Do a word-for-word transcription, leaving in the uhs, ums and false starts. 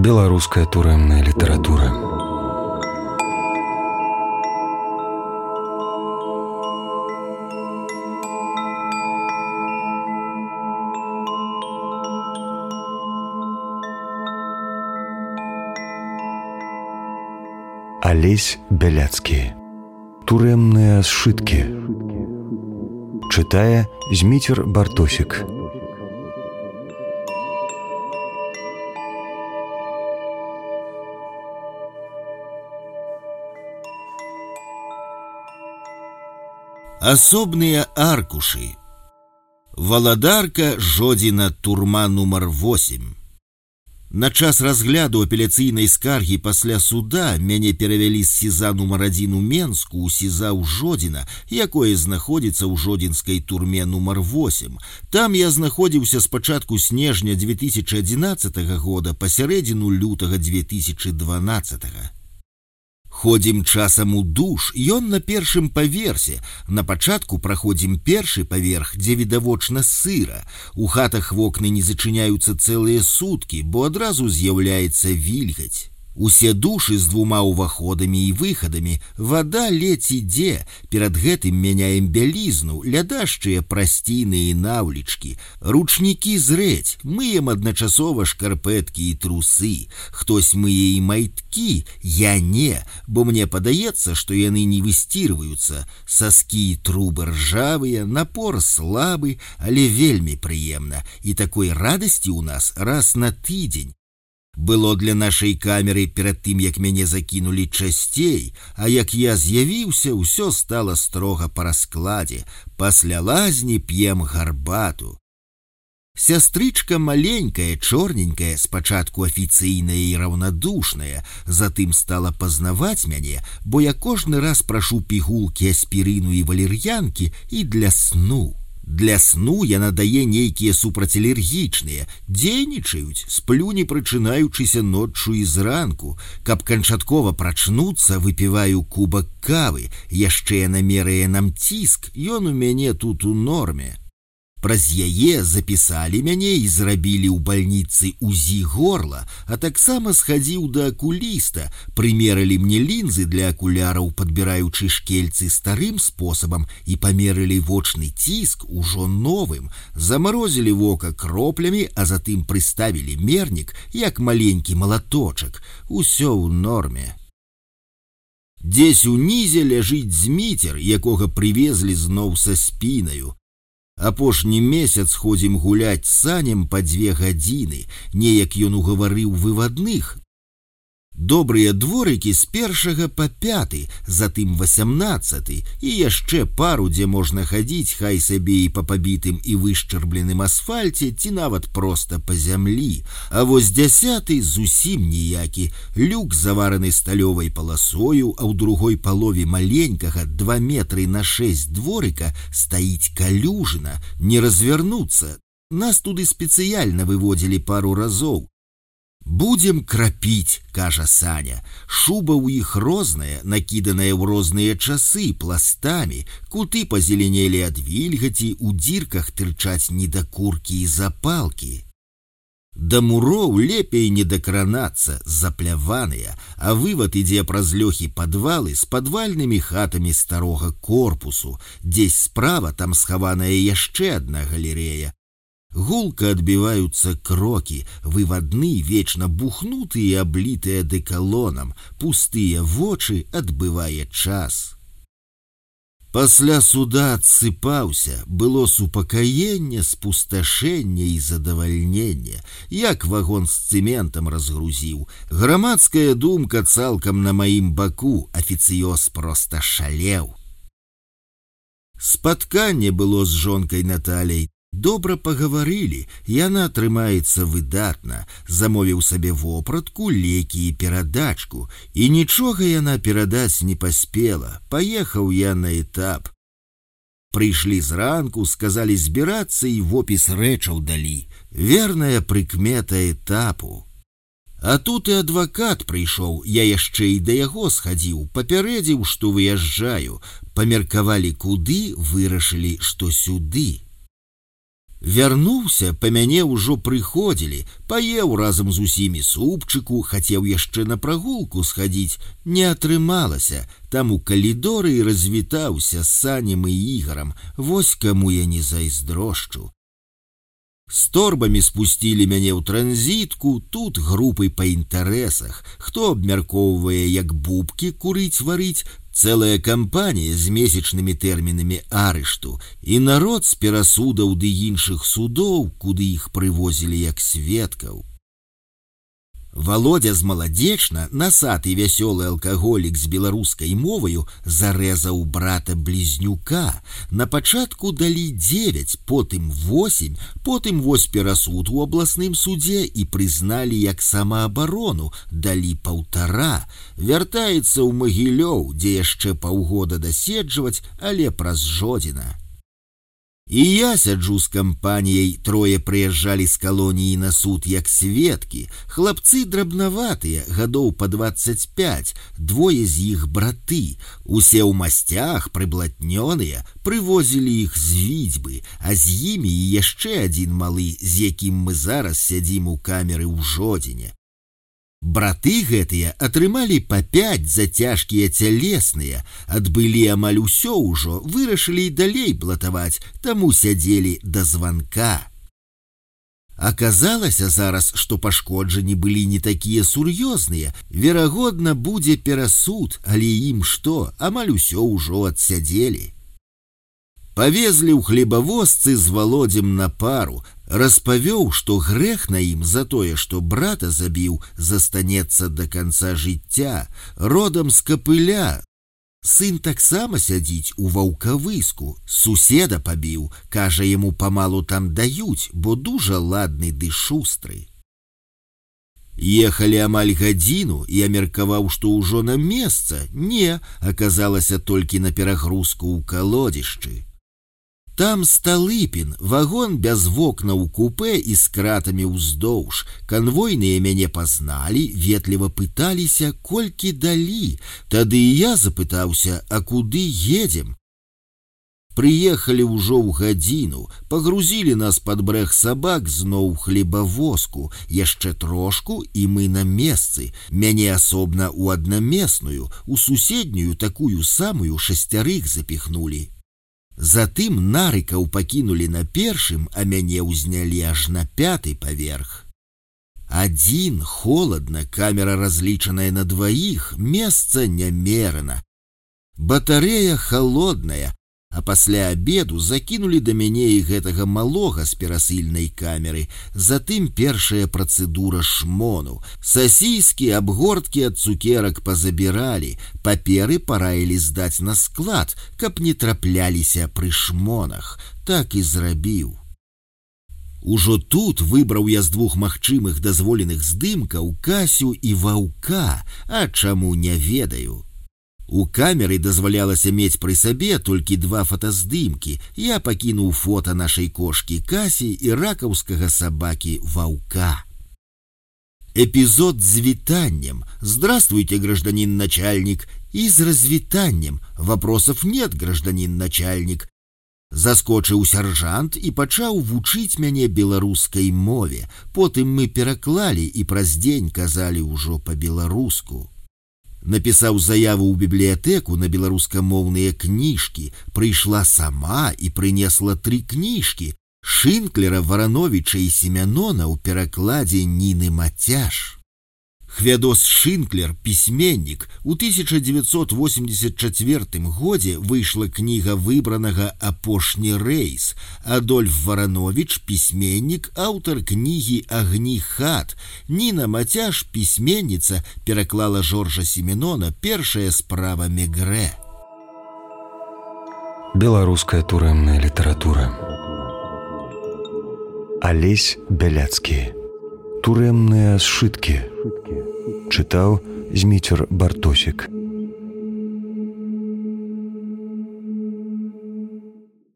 Беларуская турэмная літаратура. Алесь Бяляцкі. Турэмныя сшыткі. Чытае Зміцер Бартосік. Асобныя аркушы. Валадарка Жодзіна, турма нумар восем. На час разгляду апеляцыйнай скаргі пасля суда мяне перавялі з СІЗА нумар адзін у Менску ў СІЗА ў Жодзіна, якое знаходзіцца ў жодзінскай турме нумар восем. Там я знаходзіўся з пачатку снежня дзве тысячы адзінаццатага года па сярэдзіну лютага дзве тысячы дванаццатага. Ходзім часам у душ, ён на першым паверсе. На пачатку праходзім першы паверх, дзе відавочна сыра. У хатах вокны не зачыняюцца цэлыя суткі, бо адразу з'яўляецца вільгаць. Усе душы з двума ўваходамі і выхадамі, вада ледзь ідзе, перад гэтым мяняем бялізну, лядашчыя прасціны і наўлічкі, ручнікі зрэць, мыем адначасова шкарпэткі і трусы, хтось мые і майткі, я не, бо мне падаецца, што яны не высцірваюцца, саскі і трубы ржавыя, напор слабы, але вельмі прыемна, і такой радасці ў нас раз на тыдзень. Было для нашай камеры перад тым, як мяне закінулі часцей, а як я з'явіўся, ўсё стала строга па раскладзе. Пасля лазні п'ем гарбату. Сястрычка маленькая, чорненькая, спачатку афіцыйная і раўнадушная, затым стала пазнаваць мяне, бо я кожны раз прашу пігулкі аспірыну і валер'янкі і для сну. Для сну яна дае нейкія супрацьалергічныя, дзейнічаюць, сплю не прачынаючыся ноччу і зранку. Каб канчаткова прачнуцца, выпіваю кубак кавы, яшчэ яна мерае нам ціск, ён у мяне тут у норме. Праз яе запісалі мяне і зрабілі ў бальніцы УЗІ горла, а таксама схадзіў да акуліста, прымерылі мне лінзы для акуляраў, падбіраючы шкельцы старым спосабам, і памерылі вочны ціск ужо новым, замарозілі вока кроплямі, а затым прыставілі мернік, як маленькі малаточак. Усё ў норме. Дзесь унізе ляжыць Зміцер, якога прывезлі зноў са спінаю. Апошні месяц ходзім гуляць з санем па дзве гадзіны, неяк ён угаварыў вывадных. Добрыя дворыкі з першага па пяты, затым васямнаццаты, і яшчэ пару, дзе можна хадзіць хай сабе і па пабітым і вышчарбленым асфальце, ці нават проста па зямлі. А вось дзясяты зусім ніякі, люк завараны сталёвай паласою, а ў другой палове маленькага два метры на шэсць дворыка стаіць калюжына, не развярнуцца. Нас туды спецыяльна выводзілі пару разоў. «Будем крапіць», кажа Саня. Шуба ў іх розная, накіданая ў розныя часы, пластамі, куты пазеленелі ад вільгаці, у дзірках тырчаць недакуркі і запалкі. Да муроў лепей не дакранацца, запляваныя, а вывад ідзе праз лёхі падвалы з падвальнымі хатамі старога корпусу. Дзесь справа там схаваная яшчэ адна галерея. Гулка адбіваюцца крокі, вывадны вечна бухнуты і аблітыя дэкалонам, пустыя вочы адбывае час. Пасля суда адсыпаўся, было супакаенне, спусташэнне і задавальненне, як вагон з цэментам разгрузіў. Грамадская думка цалкам на маім баку, афіцыёз проста шалеў. Спатканне было з жонкай Наталяй. Добра пагаварылі, яна трымаецца выдатна, замовіў сабе вопратку, лекі і перадачку, і нічога яна перадаць не паспела, паехаў я на этап. Прыйшлі зранку, сказалі збірацца і вопіс рэчаў далі, верная прыкмета этапу. А тут і адвакат прыйшоў, я яшчэ і да яго схадзіў, папярэдзіў, што выязджаю, памеркавалі куды, вырашылі, што сюды. Вярнуўся, па мяне ўжо прыходзілі, паеў разам з усімі супчыку, хацеў яшчэ на прагулку схадзіць, не атрымалася, там у калідоры і развітаўся з Санем і Ігарам, вось каму я не зайздрошчу. З торбамі спусцілі мяне ў транзітку, тут групы па інтарэсах, хто абмяркоўвае, як бубкі курыць-варыць, цэлая кампанія з месячнымі тэрмінамі арышту і народ з перасудаў ды іншых судоў, куды іх прывозілі як сведкаў. Володя з Маладзечна, насаты вясёлы алкаголік з беларускай моваю, зарэзаў брата-блізнюка. На пачатку далі дзевяць, потым восем, потым вось перасуд у абласным судзе і прызналі як самаабарону, далі паўтара. Вяртаецца ў Магілёў, дзе яшчэ паўгода даседжваць, але праз Жодзіна. І я сяджу з кампаніяй, трое прыязджалі з калоніі на суд як сведкі, хлапцы драбнаватыя, гадоў па дваццаць пяць, двое з іх браты, усе ў масцях, прыблатнёныя, прывозілі іх з Віцьбы, а з імі і яшчэ адзін малы, з якім мы зараз сядзім у камеры ў Жодзіне. Браты гэтыя атрымалі па пяць за цяжкія цялесныя, адбылі амаль усё ўжо, вырашылі і далей блатаваць, таму сядзелі да званка. Аказалася зараз, што пашкоджанні былі не такія сур'ёзныя, верагодна, будзе перасуд, але ім што, амаль усё ўжо адсядзелі. Павезлі ў хлебавозцы з Володзем на пару, распавёў, што грэх на ім за тое, што брата забіў, застанецца да канца жыцця, родам з Капыля. Сын таксама сядзіць у ваўкавыску, суседа пабіў, кажа, яму памалу там даюць, бо дужа ладны ды шустры. Ехалі амаль гадзіну, я меркаваў, што ўжо на месца, не, аказалася толькі на перагрузку ў калодзішчы. Там Сталыпін, вагон без вокнаў у купе і з кратамі ўздоўж. Канвойныя мяне пазналі, ветліва пыталіся, колькі далі. Тады і я запытаўся, а куды едзем? Прыехалі ўжо ў гадзіну, пагрузілі нас пад брэх сабак зноў хлебавозку, яшчэ трошку, і мы на месцы. Мяне асобна ў аднамесную, у суседнюю такую самую шасцярых запіхнулі. Затым нарыкаў пакінулі на першым, а мяне ўзнялі аж на пяты паверх. Адзін, холадна, камера разлічаная на дваіх, месца нямерана. Батарэя холодная, а пасля абеду закінулі да мяне і гэтага малога з перасыльнай камеры, затым першая працэдура шмону. Сасіскі, абгорткі ад цукерак пазабіралі, паперы параілі здаць на склад, каб не трапляліся пры шмонах. Так і зрабіў. Ужо тут выбраў я з двух магчымых дазволеных здымкаў Касю і Ваўка, а чаму не ведаю. У камеры дазвалялася мець пры сабе толькі два фотаздымкі. Я пакінуў фота нашай кошкі Касі і ракаўскага сабакі Ваўка. Эпизод с витанием. Здравствуйте, гражданин начальник. И с развитанием. Вопросов нет, гражданин начальник. Заскочыў сяржант і пачаў вучыць мяне беларускай мове. Потым мы пераклалі і праз дзень казалі ўжо па-беларуску. Напісаў заяву ў бібліятэку на беларускамоўныя кніжкі, прыйшла сама і прынесла тры кніжкі Шынклера, Варановіча і Семянона ў перакладзе Ніны Мацяж. Хвядос Шынклер, пісьменнік, у тысяча девятьсот восемьдесят четвёртым годзе выйшла кніга выбранага «Апошні рэйс». Адольф Варановіч, пісьменнік, аўтар кнігі «Агні хат». Ніна Мацяж, пісьменніца, пераклала Жоржа Семенона «Першая справа Мегрэ». Беларуская турэмная літаратура. Алесь Бяляцкі. Турэмныя сшыткі. Чытаў Зміцер Бартосік.